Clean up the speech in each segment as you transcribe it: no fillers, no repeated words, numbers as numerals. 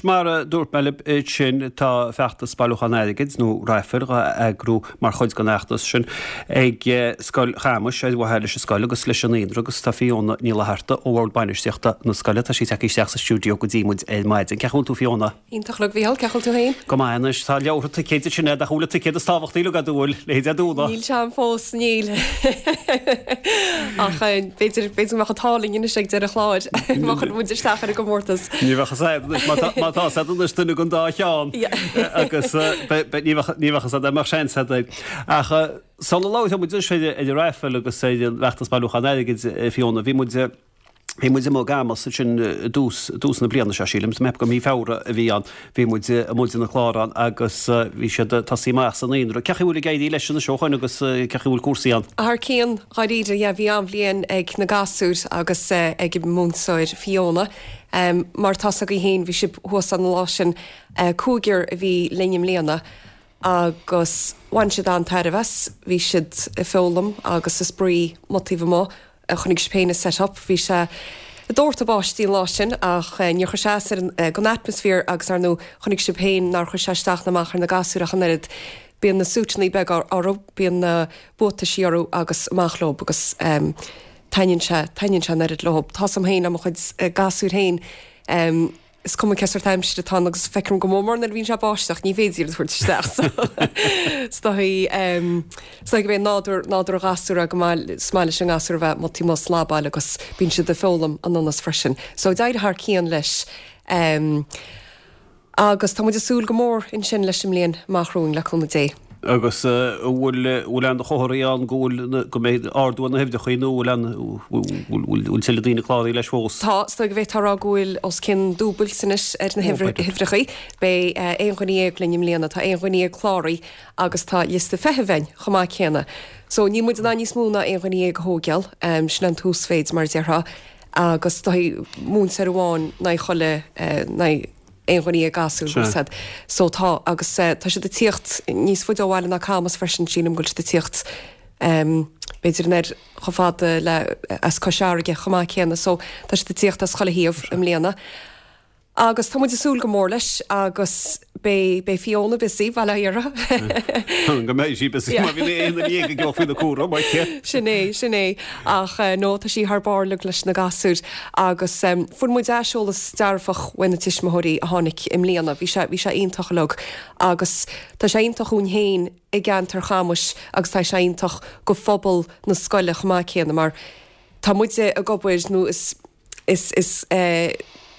Mar a dúirt mé libh ansin, tá feachtas bailiúchán airgid, nó raifil, á eagrú mar chuid den fheachtas sin ag Scoil Chamais ar mhaithe leis an scoil agus leis an naíonra agus tá Fiona Ní Fhlatharta ó Bhord Bainistíochta na scoile, tá sí tagtha isteach sa stiúideo go dtí muid ar maidin. Cén chaoi a bhfuil tú Fiona? Iontach uilig, Mhícheál, cén chaoi a bhfuil tú féin? Go maith anois, tá leabhartha ticéid ansin agat ach an bhfuil an ticéad is tábhachtaí uilig agat, an bhfuil, le haghaidh Dé Domhnaigh? Níl sé ann fós, níl. Ach b'fhéidir, b'fhéidir go mbeadh an t-ádh linn anois ag deireadh an chláir, má chuireann muid isteach ar an gcomórtas. Ní bheadh fhios agat anois, má tá, má tá fhios agat anois duine den dá cheann agus ní bheadh, ní bheadh fhios agat, mbeadh seans agat. Ach sula labhróidh muid anois ar an raifil agus ar an bhfeachtas bailiúchán airgid, Fiona, bhí muid, Bhí muid amuigh i gCamus ansin i dtús, i dtús na bliana seo, sílim, is mé gur mí Feabhra a bhí ann. Bhí muid amuigh ag déanamh clár ann agus bhí siad ag tosaí amach sa naíonra. Cén chaoi a bhfuil ag éirí leis anois ó shoin agus cén chaoi a bhfuil cúrsaí ann? Thar cionn, dháiríre, yeah, bhí an-bhliain ag na gasúir agus ag an múinteoir Fiona. Mar tá 's agaibh féin, bhí sibh thuas an lá sin, cúigear a bhí linn i mbliana agus bhain siad an-tairbhe as, bhí siad ag foghlaim agus ag spraoi amuigh taobh amuigh. Chonaic sibh féin an set up, bhí sé ag doirteadh báistí an lá sin ach níor chuir sé as ar an atmaisféar agus ar ndóigh chonaic sibh féin nár chuir sé isteach ná amach ar na gasúir ach an oiread. Bíonn na súiteanna beaga orthu, bíonn na buataisí orthu agus amach leo agus taitníonn sé, taitníonn sé an oiread leo. Tá 's a'm féin le mo chuid gasúir féin. Is cuma cé sórt aimsire atá ann agus feicim go mór mór nuair a bhíonn sé ag báisteach, ní féidir iad a thabhairt isteach so is dóigh is dóigh gurb é nádúr nádúr an ghasúir é go maith is maith leis an ngasúr a bheith amuigh taobh amuigh ag slabáil agus bíonn siad ag foghlaim anonn as freisin. So d'éirigh thar cionn leis. Agus tá muid ag súil go mór ansin leis an mbliain amach romhainn le cúnamh Dé. Agus an bhfuil bhfuil aon chomharthaí ann go bhfuil go mbeidh ardú ar na huimhreacha nó bhfuil aon bhfuil tuilleadh daoine cláraithe leis fós? Tá, is dóigh go bhféadfá a rá go bhfuil os cionn dúbailt anois ar na huimhreacha. Beidh 11 dhuine linn i mbliana, tá 11 dhuine cláraithe agus tá liosta feithimh againn chomh maith céanna. So níl muid in ann níos mó ná 11 dhuine a thógáil, sin an t-uasmhéid mar a déarfá agus is dóigh múinteoir amháin in aghaidh chuile in aghaidh aon dhuine déag gasúr bhfuil 's a'd. So tá, agus tá siad ag tíocht níos faide ó bhaile ná Camus freisin, sílim go bhfuil siad ag tíocht b'fhéidir an oiread chomh fada le as Cois Fharraige chomh maith céanna. So tá siad ag tíocht as chuile thaobh i mbliana. Agus tá muid ag súil go mór leis agus beidh, beidh Fiona busy, bail ó Dhia uirthi. Go mbeidh sí busy má bhíonn aon duine ag dul faoina cúram aici. Sin é, sin é. Ach no, tá sí thar barr uilig leis na gasúir agus fuair muid aiseolas dearfach uaidh na tuismitheoirí a tháinig i mbliana. Bhí sé, bhí sé iontach uilig agus tá sé iontach dhúinn féin i gceantar Chamuis agus tá sé iontach go phobal na scoile chomh maith céanna mar tá muide ag obair nó is, is, is,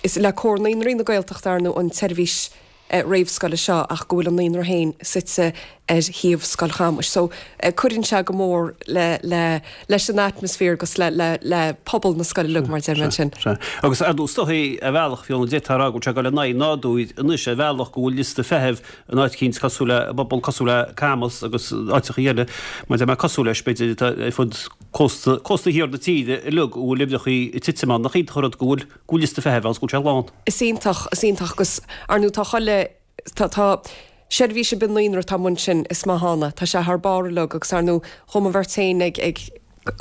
is le Comhar Naíonraí na Gaeltachta ar ndóigh an tseirbhís réamhscoile seo ach go bhfuil an naíonra féin suite ar shuíomh Scoil Chamuis. So cuireann sé go mór le, le, leis an atmaisféar agus le, le, le pobal na scoile uilig mar a deir mé ansin. Sea. Agus ar ndóigh is dóichí ar bhealach, Fiona, d'fhéadfá a rá go bhfuil sé ag dul in aghaidh an nádúir anois ar bhealach go bhfuil liosta feithimh in áit eicínt cosúil le, i bpobal cosúil le Camus agus áiteacha eile, mar a deir mé cosúil leis b'fhéidir atá ar fud cósta, cósta thiar na tíre uilig a bhfuil uimhreachaí ag titim ann. Nach iontach an rud go bhfuil go bhfuil liosta feithimh ann 's go bhfuil sé lán. Is iontach, is iontach agus ar ndóigh tá chuile, tá, tá seirbhís ar bith naíonra atá amuigh ansin is maith ann é, tá sé thar barr uilig agus ar ndóigh chuaigh mo bheirt féin ag, ag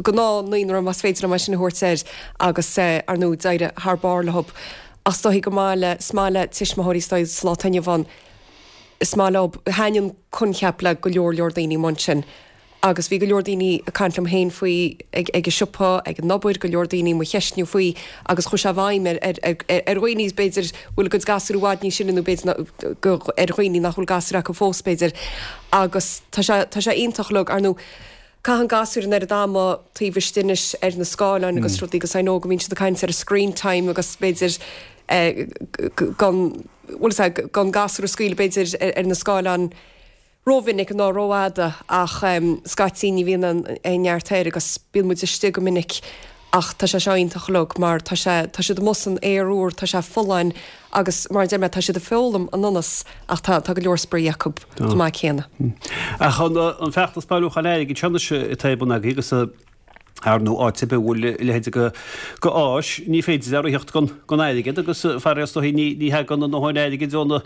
gnáth naíonra más féidir liom é sin a thabhairt air agus ar ndóigh d'éirigh thar barr leo. Ach is dóichí go maith le, is maith le tuismitheoirí is dóigh sa lá atá inniu ann, is maith leo, thaitin an coincheap le go leor leor daoine amuigh ansin. Agus bhí go leor daoine ag caint liom féin faoi ag ag an siopa, ag an obair, go leor daoine mo cheistniú faoi agus chuaigh sé i bhfeidhm ar ar ar ar dhaoine b'fhéidir bhfuil a gcuid gasúr i bhfad níos sine nó b'fhéidir go ar dhaoine nach bhfuil gasúir acu fós b'fhéidir. Agus tá sé tá sé iontach uilig, ar ndóigh caitheann gasúir an oiread ama taobh istigh anois ar na scáileáin agus rudaí agus I know go mbíonn siad ag caint ar screen time agus b'fhéidir eh gan bhfuil 'fhios a'd gan gasúr a scaoileadh b'fhéidir ar ar na scáileáin rómhinic ná rófhada ach scaití ní bhíonn aon neart air agus bíonn muid istigh go minic ach tá sé seo iontach uilig mar tá sé, tá siad amuigh san aer úr, tá sé folláin agus mar a deir mé tá siad ag foghlaim ionas ach tá, tá go leor spraoi acu chomh maith céanna. Ach an feachtas bailiúcháin airgid seo anois atá ar bun agaibh agus. Ar ndóigh, áit ar bith a bhfuil a leithéid de áis, ní féidir a ritheacht gan airgead agus faraor is dóichí ní thagann a ndóthain airgid ó na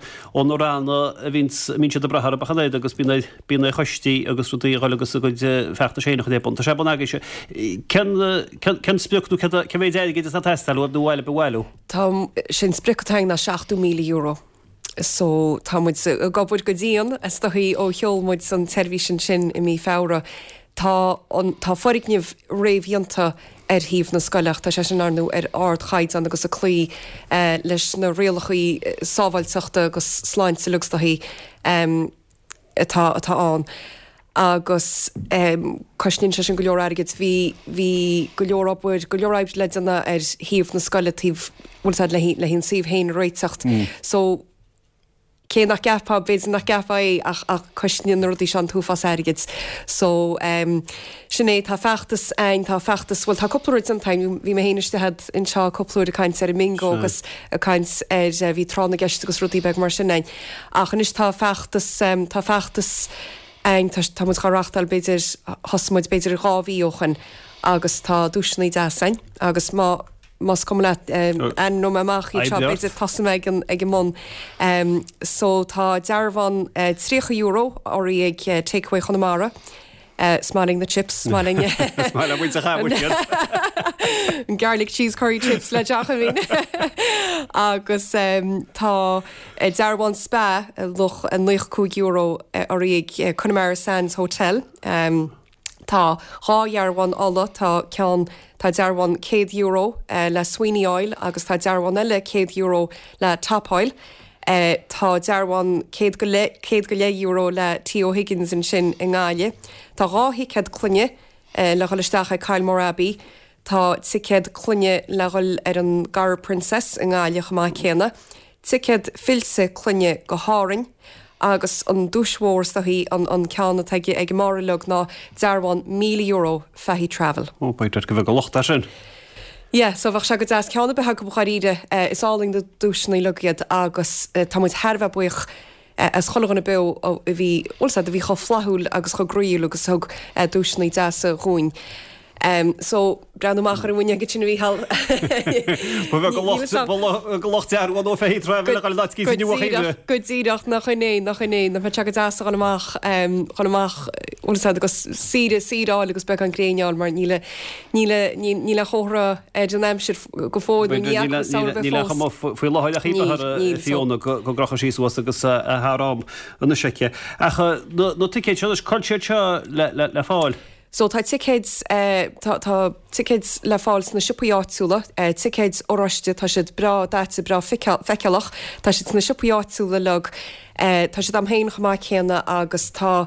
ranna a bhíonns, a mbíonn siad ag brath orthu ach an oiread agus bíonn ar, bíonn ar choistí agus rudaí a dhul agus a gcuid feachtais féin a chur ar bun. Tá sé bun agaibhse. Cén, cén, cén sprioc nó cén, cén mhéid airgid atá ag teastáil uaibh nó a bhailiú? Tá, sé an sprioc atá againn ná €70,000. So tá muid ag obair go dian, is dóichí, ó sheol muid an tseirbhís ansin i mí Feabhra. Tá an, tá foirgneamh réamhdhéanta ar shuíomh na scoile ach tá sé sin, ar ndóigh, ar ardchaighdeán agus ag cloí leis na rialacha sábháilteachta agus sláinte uilig is dóichí. atá atá ann agus cosnaíonn sé sin go leor airgid. Bhí bhí go leor obair, go leor oibre le déanamh ar shuíomh na scoile taobh, bhfuil a fhios a'd, le le an suíomh féin a réiteacht. So cé nach gceapfá, b'fhéidir nach gceapfá é ach ach cosnaíonn na rudaí seo an t-uafás airgid. So sin é, tá feachtas a'inn, tá feachtas, bhuel tá cúpla rud déanta a'inn, bhí mé féin istigh a'd anseo cúpla uair ag caint ar an mbingo agus ag caint ar, bhí tráth na gceist agus rudaí beag mar sin a'inn. Ach anois tá feachtas, tá feachtas a'inn, tá, tá muid dhá reachtáil b'fhéidir, thosaigh muid b'fhéidir 2 mhí ó shoin agus tá duaiseanna deas a'inn agus má, más cuma leat, ainmneoidh mé amach iad seo, b'fhéidir tosóidh mé ag an, ag an mbun. So tá dearbhán €30 urraithe ag Takeaway Chonamara. Is maith linn na chips, is maith linn. Is maith le muintir Chamuis iad. Garlic cheese curry chips le Jacobin. Agus tá dearbhán spa luach €95 urraithe ag Connemara Sands Hotel. Tá 2 dhearbhán ola, tá ceann, tá dearbhán €100 le Sweeney Oil agus tá dearbhán eile €100 le Top Oil. Tá dearbhán €100.50 le T. O'Higgins ansin i nGaillimh. Tá 2 thicéad clainne le dhul isteach ag Kylemore Abbey. Tá ticéad clainne le dhul ar an gCarraig Princess i nGaillimh chomh maith céanna. Ticéad fillte clainne go hÁrainn agus an duais mhór is dóichí an ceann atá ag an mbarr uilig ná dearbhán €1,000 Fahy Travel. Ó, b'fhéidir go bheadh a lucht air sin. Yeah, so bheadh sé go deas ceann ar bith acu dháiríre. Is álainn na duaiseanna uilig iad agus tá muid thar a bheith buíoch as chuile dhuine beo a bhí, bhfuil 's a'd, a bhí chomh flaithiúil agus chomh groíúil agus a thug duaiseanna deasa dhúinn. So, breathnú amach ar an bhfuinneog ansin a Mhícheáil. Ba bheag a lucht dearbhán ó Fahy Travel a dhul in áit cíos inniu a Chaoimhe. Go díreach, nach in é, nach in é, nach mbeadh sé go deas a dhul amach, dhul amach, bhfuil 's a'd, agus saoire, saoire a fháil agus beagán gréine a fháil mar níl a, Níl níl aon chomhartha ar an aimsir go fóill nó ní fhaca samhradh bheith fós. Níl aon chuma faoi láthair ach Níl, Fiona go gcrochfaidh sí suas agus thar am anois aici. Ach na ticéid seo anois, cá bhfuil siad seo le fáil? So tá ticéid tá tá ticéid le fáil sna siopaí áitiúla, ticéid oráiste, tá siad breá daite, breá feiceálach, tá siad sna siopaí áitiúla uilig, tá siad a'm féin chomh maith céanna agus tá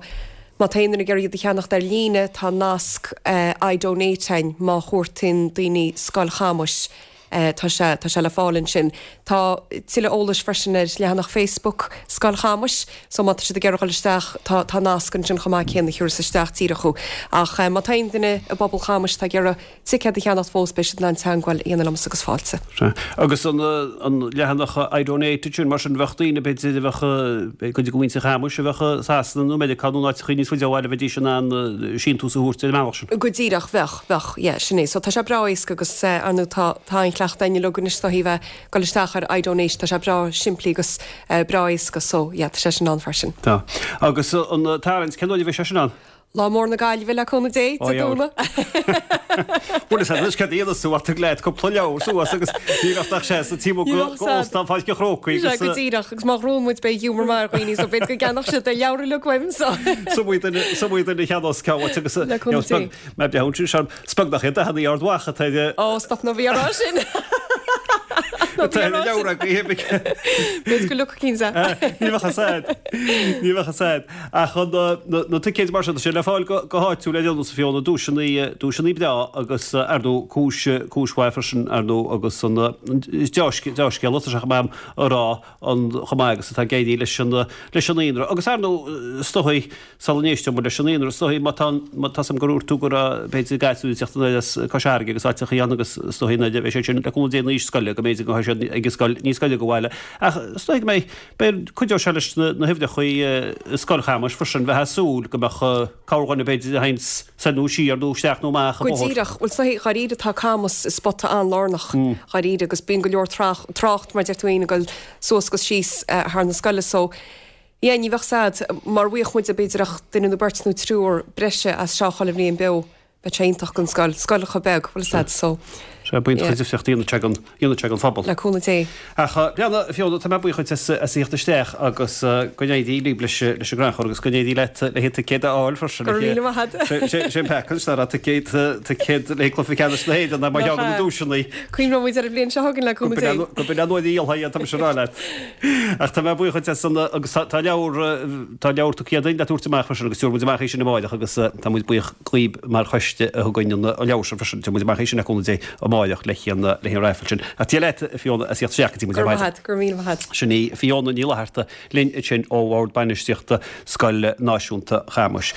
Má tá aon duine ag iarraidh iad a cheannacht ar líne, tá nasc iDonate a'inn má chuartaíonn daoine Scoil Chamuis, tá sé, tá sé le fáil ansin. Tá tuilleadh eolais freisin ar leathanach Facebook Scoil Chamuis, so má tá siad ag iarraidh dhul isteach, tá, tá nasc ansin chomh maith céanna a thiúrfas isteach díreach thú. Ach má tá aon duine i bpobal Chamuis atá ag iarraidh ticéad a cheannacht fós, beidh siad in ann teagmháil a dhéanamh liomsa agus fáilte. Sea. Agus an leathanach iDonate ansin, mar sin, bheadh daoine, b'fhéidir, a bheadh, cuid de mhuintir Chamuis a bheadh i Sasana nó Meiriceá nó in áiteachaí níos faide ó bhaile, bheidís in ann síntiús a thabhairt ar an mbealach sin. Go díreach, bheadh, bheadh, yeah, sin é. So tá sé breá éasca agus, ar ndóigh, tá, tá an-chleachtadh a'inn uilig anois is dóichí bheith ag dul isteach ar iDonate, tá sé breá simplí agus breá éasca, so yeah, tá sé sin ann freisin. Tá. Agus an tarraingt, cén uair a bheidh sé sin ann? Lá mór na Gaillimhe le cúnamh Dé, Dé Domhnaigh. Bhuel is anois cad a dhéanfas tú ach tig leat cúpla leabhar suas agus ní bheadh ach sé sa taobh amuigh go Óstán Pháirc an Chrócaigh agus. Go díreach agus má ghnóthaíonn muid beidh giúmar maith ar dhaoine so b'fhéidir go gceannódh siad leabhar uilig uaim so. Is iomaí duine is iomaí duine a cheannós ceann uait agus Le cúnamh Dé. Mé breathnú ansin seo is beag nach iad dathanna Ard Mhacha atá ar Ó stop ná bí á rá sin. Atá ar an leabhar agaibh. B'fhéidir go leoga cinnte. Ní bheadh a fhios a'd. Ní bheadh a fhios a'd. Ach na ticéid mar sin, tá sé le fáil go háitiúil ar aon nós a Fiona, duaiseanna, duaiseanna breá agus ar ndóigh cúis, cúis mhaith freisin ar ndóigh agus an deá-scéal atá sé chomh maith a rá an chomh maith agus atá ag éirí leis an, leis an naíonra. Agus ar ndóigh is dóigh sula n-éisteoidh muid leis an naíonra, is dóigh má tá, má tá 's agam gur dhúirt tú go raibh b'fhéidir gasúir ag teacht anoir as Cois Fharraige agus áiteachaí ann agus is dóigh nuair a bheidh siad sin le cúnamh Dé in aois scoile go mb'fhéidir go. beidh siad ag an scoil, níos gaire do bhaile. Ach is dóigh go mbeidh, beidh, cuideoidh sé leis na huimhreacha i Scoil Chamuis freisin bheith ag súil go mbeadh corrdhuine b'fhéidir a théann soir nó siar nó isteach nó amach an Go bóthar. díreach. Bhuel, is dóigh, dháiríre tá Camus i spota an-lárnach, dháiríre, agus bíonn go leor trácht, mar deir tú féin, ag dul suas agus síos thar na scoile so, yeah, ní bheadh 's a'd, mar bhfaigheadh muide b'fhéidir ach duine nó beirt nó triúr breise as seo chuile bhliain beo. Bheadh sé iontach don scoil, scoil chomh beag, bhfuil 'fhios a'd, so. Sea, bíonn yeah. difríocht a dhéanfaidh sé don, dhéanfaidh sé don phobal. Le cúnamh Dé. Ach Breandán, Fiona, tá mé buíoch duit as, as a thíocht isteach agus go n-éirí libh leis, leis an gcrannchur agus go n-éirí leat le haghaidh ticéad a fháil freisin. Go raibh míle maith a't. Sé, sé an peaca anois nach raibh ticéad, ticéad le haghaidh cluiche ceannais na hÉireann mar cheann de na duaiseanna. Cuimhneoidh muid ar an bhliain seo chugainn le cúnamh Dé. Go b'in an uair a dhíolfaí iad, tá mise ag rá leat. Ach tá mé buíoch duit as an, agus tá, tá leabhar, Tá leabhar tugtha againn le tabhairt amach freisin agus tabharfaidh muid amach é sin amáireach agus tá muid buíoch dhaoib mar choiste a thugann an leabhar sin freisin. Tabharfaidh muid amach é sin le cúnamh Dé amáireach le haghaidh an raifil sin. Ach Dia leat, a Fiona, as a thíocht isteach go dtí muid ar maidin. Go raibh maith a't, go raibh míle maith a't. Sin í Fiona Ní Fhlatharta linn ansin ó Bhord Bainistíochta Scoil Náisiúnta Chamuis.